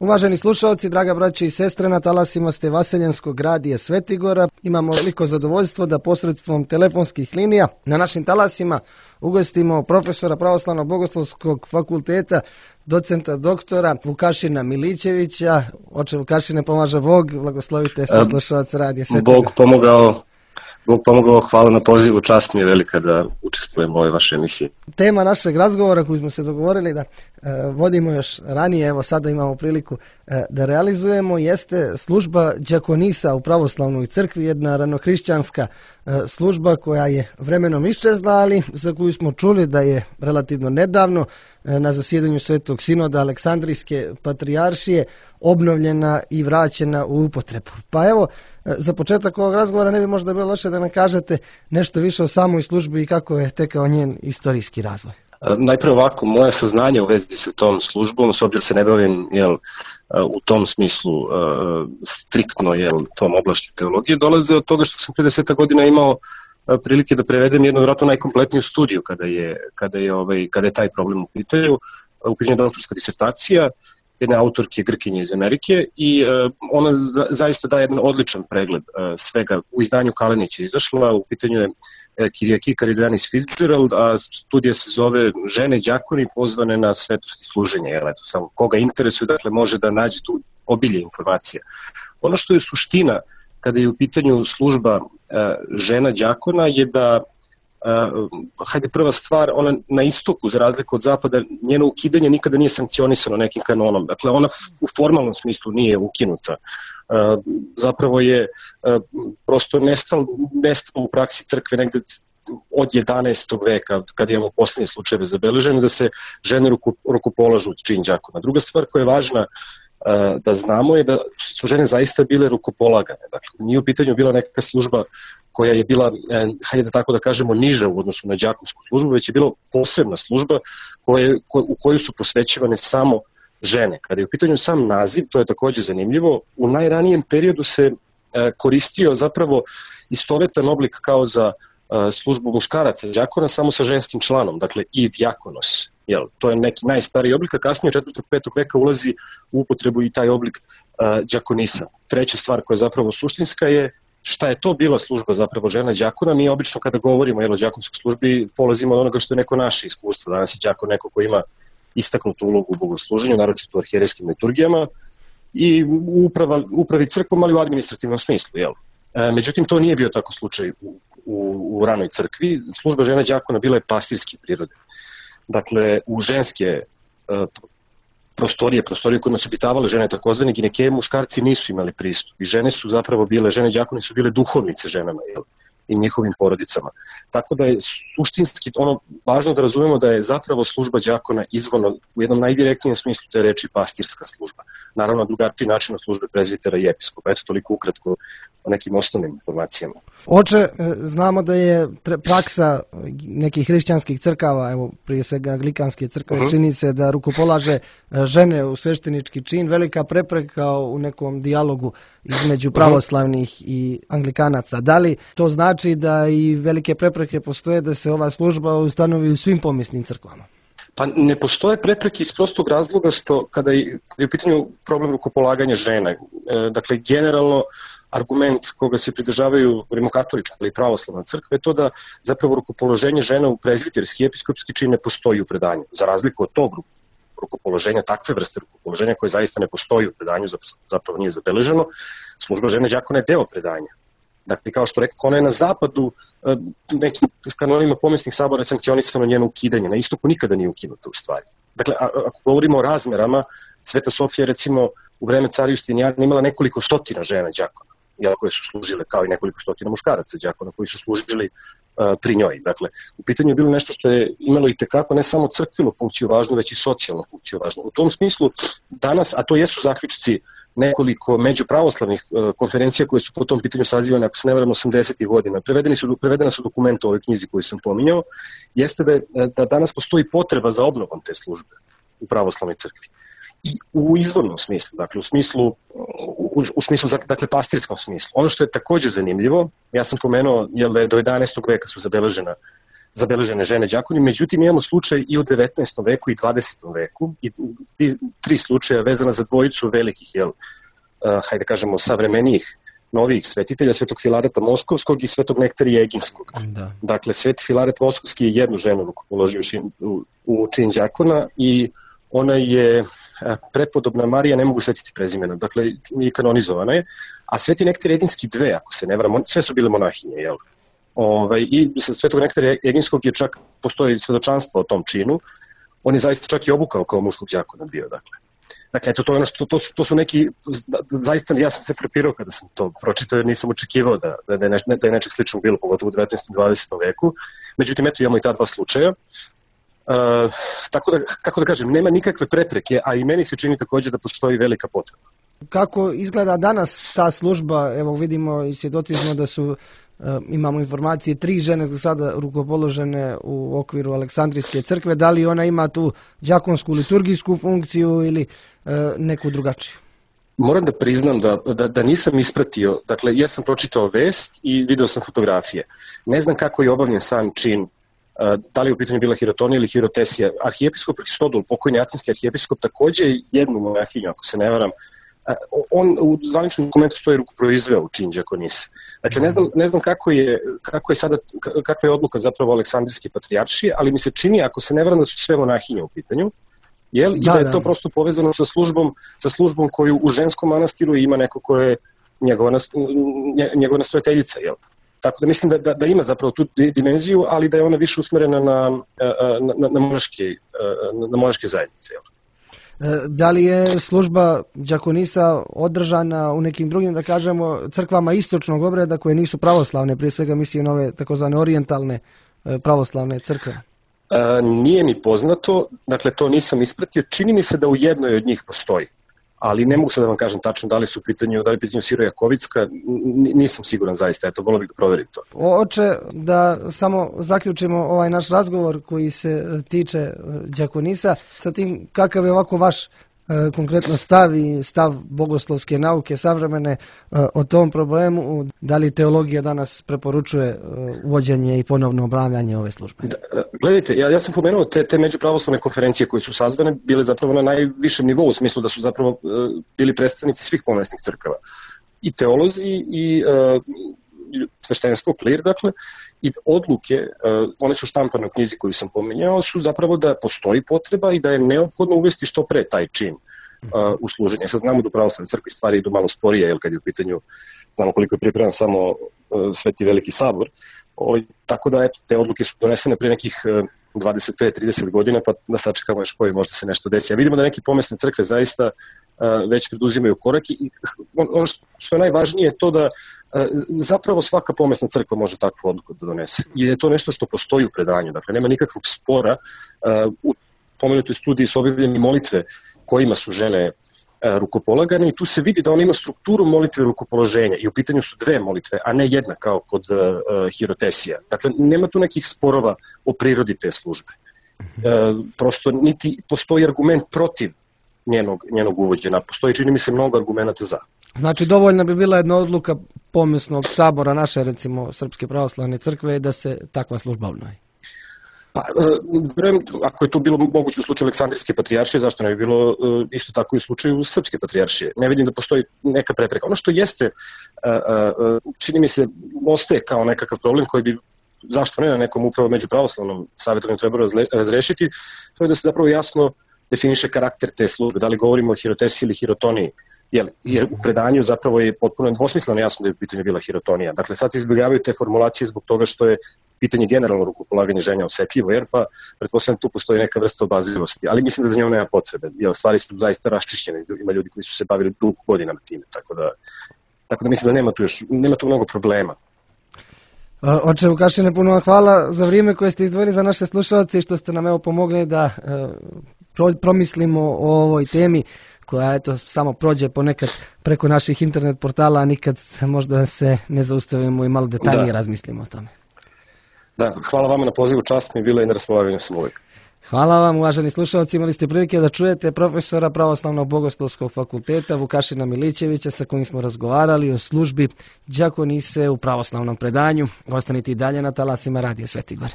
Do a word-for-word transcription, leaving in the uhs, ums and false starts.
Uvaženi slušalci, draga braće i sestre, na talasima ste Vaseljenskog radija Svetigora. Imamo veliko zadovoljstvo da posredstvom telefonskih linija na našim talasima ugostimo profesora Pravoslavnog bogoslovskog fakulteta, docenta doktora Vukašina Milićevića. Oče Vukašine, pomaže Bog, blagoslovite sve slušalce radija Svetigora. Bog pomogao. Bog pomogao, hvala na pozivu, čast mi je velika da učestvujem u ovoj vašoj emisiji. Tema našeg razgovora koju smo se dogovorili da e, vodimo još ranije, evo sada imamo priliku e, da realizujemo, jeste služba đakonisa u pravoslavnoj crkvi, jedna ranohrišćanska e, služba koja je vremenom iščezla, ali za koju smo čuli da je relativno nedavno e, na zasjedanju Svetog sinoda Aleksandrijske patrijaršije obnovljena i vraćena u upotrebu. Pa evo, za početak ovog razgovora ne bi možda bilo loše da nam kažete nešto više o samoj službi i kako je tekao njen istorijski razvoj. Najprije ovako, moje saznanje u vezi sa tom službom, s obzirom se ne bavim jel, u tom smislu striktno jel, tom oblašću teologije, dolaze od toga što sam pre deseta godina imao prilike da prevedem jednu vjerojatno najkompletniju studiju kada je, kada je, ovaj, kada je taj problem u pitanju. U pitanju doktorska disertacija jedne autorke Grkinje iz Amerike i uh, ona za, zaista daje jedan odličan pregled uh, svega. U izdanju Kalenića izašla, u pitanju je uh, Kyriaki Karidanis Fitzgerald, a studija se zove Žene đakoni pozvane na svetosti služenja. Jel, eto, samo koga interesuje, dakle, može da nađe tu obilje informacija. Ono što je suština kada je u pitanju služba uh, žena đakona je da Uh, hajde prva stvar, ona na istoku za razliku od zapada, njeno ukidanje nikada nije sankcionisano nekim kanonom, dakle ona u formalnom smislu nije ukinuta, uh, zapravo je uh, prosto nestalo, nestalo u praksi crkve negde od jedanaestog veka, kad imamo poslednje slučajeve zabeležene, da se žene ruku, rukopolažu u čin đakona. Druga stvar koja je važna da znamo je da su žene zaista bile rukopolagane. Dakle, nije u pitanju bila neka služba koja je bila, hajde da tako da kažemo, niža u odnosu na đakonsku službu, već je bila posebna služba koje, ko, u koju su posvećivane samo žene. Kada je u pitanju sam naziv, to je takođe zanimljivo, u najranijem periodu se koristio zapravo istovetan oblik kao za službu muškaraca đakona samo sa ženskim članom, dakle i dijakonos. Jel, to je neki najstariji oblik, a kasnije u četvrtog petog veka ulazi u upotrebu i taj oblik uh, đakonisa. Treća stvar koja je zapravo suštinska je šta je to bila služba zapravo žena đakona. Mi obično kada govorimo jel, o đakonskoj službi polazimo od onoga što je neko naše iskustvo. Danas je đakon neko ko ima istaknutu ulogu u bogosluženju, naročito u arhijerejskim liturgijama i u uprava, upravi crkvom, ali u administrativnom smislu. Jel. E, međutim, to nije bio tako slučaj u, u, u ranoj crkvi. Služba žena đakona bila je pastirske prirode. Dakle, u ženske uh, prostorije, prostorije kojima su obitavale žene, takozvane ginekeje, muškarci nisu imali pristup. I žene su zapravo bile, žene đakoni su bile duhovnice ženama, jel, i njihovim porodicama. Tako da je suštinski ono važno da razumemo da je zapravo služba đakona izvorno u jednom najdirektnijem smislu te reči pastirska služba. Naravno, drugačiji način od službe prezbitera i episkopa. Eto, toliko ukratko o nekim osnovnim informacijama. Oče, znamo da je praksa nekih hrišćanskih crkava, evo prije svega anglikanske crkve, uh-huh. čini se da rukopolaže žene u sveštenički čin, velika prepreka u nekom dijalogu između pravoslavnih uh-huh. i anglikanaca. Da li to znači da i velike prepreke postoje da se ova služba ustanovi u svim pomisnim crkvama? Pa ne postoje prepreke iz prostog razloga što kada je, kada je u pitanju problem rukopolaganja žena, e, dakle generalno argument koga se pridržavaju rimokatolička ili pravoslavna crkva je to da zapravo rukopoloženje žena u prezbiterski i episkopski čin ne postoji u predanju. Za razliku od tog rukopoloženja, takve vrste rukopoloženja koje zaista ne postoji u predanju, zapravo nije zabeleženo, služba žene đakona je deo predanja. Dakle, kao što rekao, ona je na zapadu nekim kanonima pomisnih sabora sankcionisano njeno ukidanje. Na istoku nikada nije ukinuto u stvari. Dakle, a, ako govorimo o razmerama, Sveta Sofija recimo u vreme cara Justinijana imala nekoliko stotina žena đakona, jel, koje su služile kao i nekoliko stotina muškaraca đakona koji su služili uh, pri njoj. Dakle, u pitanju je bilo nešto što je imalo i tekako ne samo crkvenu funkciju važnu, već i socijalnu funkciju važnu. U tom smislu danas, a to jesu zaključci nekoliko međupravoslavnih uh, konferencija koje su po tom pitanju sazivane, ako se ne varam, osamdesetih godina, prevedeni su, prevedena su dokumenta u ovoj knjizi koju sam pominjao, jeste da, je, da danas postoji potreba za obnovom te službe u pravoslavnoj crkvi. I u izvornom smislu, dakle u smislu, u, u smislu, dakle pastirskom smislu. Ono što je takođe zanimljivo, ja sam pomenuo, jel da je do jedanaestog veka su zabeležena zabeležene žene đakoni, međutim imamo slučaj i u devetnaestom veku i dvadesetom veku i tri slučaja vezana za dvojicu velikih, jel, uh, hajde kažemo, savremenijih novih svetitelja, Svetog Filareta Moskovskog i Svetog Nektarija Eginskog. Da. Dakle, Sveti Filaret Moskovski je jednu ženu rukopoložio u, u čin đakona i ona je prepodobna Marija, ne mogu svetiti prezimena, dakle, i kanonizovana je, a Sveti Nektarij Eginski dve, ako se ne varam, sve su bile monahinje, jel? Ove, I Svetog Nektarija Eginskog je čak, postoji svedočanstvo o tom činu, on je zaista čak i obukao kao muškog đakona bio, dakle. Dakle, eto, to, je ono što, to, su, to su neki, zaista ja sam se frapirao kada sam to pročitao, jer nisam očekivao da, da, je, neš, da je nečeg sličnog bilo, pogotovo u devetnaestom i dvadesetom veku. Međutim, eto, imamo i ta dva slučaja. Uh, tako da, kako da kažem, nema nikakve prepreke, a i meni se čini također da postoji velika potreba. Kako izgleda danas ta služba? Evo vidimo i svjedoci smo da su, uh, imamo informacije, tri žene za sada rukopoložene u okviru Aleksandrijske crkve. Da li ona ima tu đakonsku liturgijsku funkciju ili uh, neku drugačiju? Moram da priznam da, da, da nisam ispratio, dakle ja sam pročitao vest i video sam fotografije. Ne znam kako je obavljen sam čin, da li je u pitanju bila hirotonija ili hirotesija. Arhijepiskop Hristodul, pokojni atinski arhijepiskop, takođe je jednu monahinju, ako se ne varam, on u zvaničnom dokumentu stoji rukoproizveo u čin đakonise. Dakle, ne znam, ne znam kako, je, kako je sada, kakva je odluka zapravo Aleksandrijske patrijaršije, ali mi se čini, ako se ne varam, da su sve monahinje u pitanju, jel? I da, da je to da. prosto povezano sa službom, sa službom koju u ženskom manastiru ima neko ko je njegova, njegova nastojateljica, jel? Tako da mislim da, da, da ima zapravo tu dimenziju, ali da je ona više usmerena na, na, na, na, monaške, na monaške zajednice. Jel? Da li je služba đakonisa održana u nekim drugim, da kažemo, crkvama istočnog obreda koje nisu pravoslavne, prije svega mislim na ove takozvane orijentalne pravoslavne crkve? E, nije mi poznato, dakle to nisam ispratio, čini mi se da u jednoj od njih postoji. Ali ne mogu sad da vam kažem tačno da li su u pitanju, da li je pitanju Siro-Jakovicka, nisam siguran zaista, eto, volio bih da proverim to. Oče, da samo zaključimo ovaj naš razgovor koji se tiče đakonisa, sa tim kakav je ovako vaš e, konkretno stav i stav bogoslovske nauke savremene e, o tom problemu, da li teologija danas preporučuje e, uvođenje i ponovno obnavljanje ove službe? Da, gledajte, ja, ja sam pomenuo te, te međupravoslavne konferencije koje su sazvane, bile zapravo na najvišem nivou, u smislu da su zapravo e, bili predstavnici svih pomesnih crkava. I teolozi i e, sveštenstvo, klir, dakle, i odluke, uh, one su štampane u knjizi koju sam pomenjao, su zapravo da postoji potreba i da je neophodno uvesti što pre taj čin uh, u služenje. Sad znamo da u pravoslavnoj crkvi stvari idu malo sporije, jer kad je u pitanju, znamo koliko je pripreman samo uh, Sveti Veliki sabor, o, tako da eto, te odluke su donesene pre nekih uh, dvadeset pet do trideset godina, pa da sačekamo još koji možda se nešto desi. A vidimo da neke pomesne crkve zaista uh, već preduzimaju korak i ono što je najvažnije je to da uh, zapravo svaka pomesna crkva može takvu odluku da donese. I je to nešto što postoji u predanju, dakle nema nikakvog spora. Uh, u pomenutoj studiji su objavljene molitve kojima su žene rukopolagane i tu se vidi da on ima strukturu molitve rukopoloženja i u pitanju su dve molitve, a ne jedna kao kod uh, hirotesija. Dakle, nema tu nekih sporova o prirodi te službe. Uh, prosto niti postoji argument protiv njenog, njenog uvođenja. Postoji, čini mi se, mnogo argumenta za. Znači, dovoljna bi bila jedna odluka pomesnog sabora naše, recimo, Srpske pravoslavne crkve da se takva služba obnovi. Pa, vrem, ako je to bilo moguće u slučaju Aleksandrijske patrijaršije, zašto ne bi bilo isto tako i u slučaju Srpske patrijaršije? Ne vidim da postoji neka prepreka. Ono što jeste, čini mi se, ostaje kao nekakav problem koji bi, zašto ne, na nekom upravo među pravoslavnom savjetovanju trebalo razrešiti, to je da se zapravo jasno definiše karakter te službe, da li govorimo o hirotesiji ili hirotoniji. Jer u predanju zapravo je potpuno dvosmisleno jasno da je u pitanju bila hirotonija. Dakle, sad se izbjegavaju te formulacije zbog toga što je pitanje generalno rukopolaganja ženja osetljivo, jer pa pretpostavljam tu postoji neka vrsta obazrivosti, ali mislim da za njom nema potrebe, jer stvari su zaista raščišćene, ima ljudi koji su se bavili dugo godinama time, tako da, tako da mislim da nema tu još, nema tu mnogo problema. Oče Vukašine, puno vam hvala za vrijeme koje ste izdvojili za naše slušalce i što ste nam evo pomogli da e, promislimo o ovoj temi koja eto samo prođe ponekad preko naših internet portala, a nikad možda se ne zaustavimo i malo detaljnije da. razmislimo o tome. Da, hvala vama na pozivu, čast mi je bila i na raspolaganju sam uvijek. Hvala vam, uvaženi slušalci, imali ste prilike da čujete profesora Pravoslavnog bogoslovskog fakulteta Vukašina Milićevića sa kojim smo razgovarali o službi đakonise u pravoslavnom predanju. Ostanite i dalje na talasima Radija Svetigor.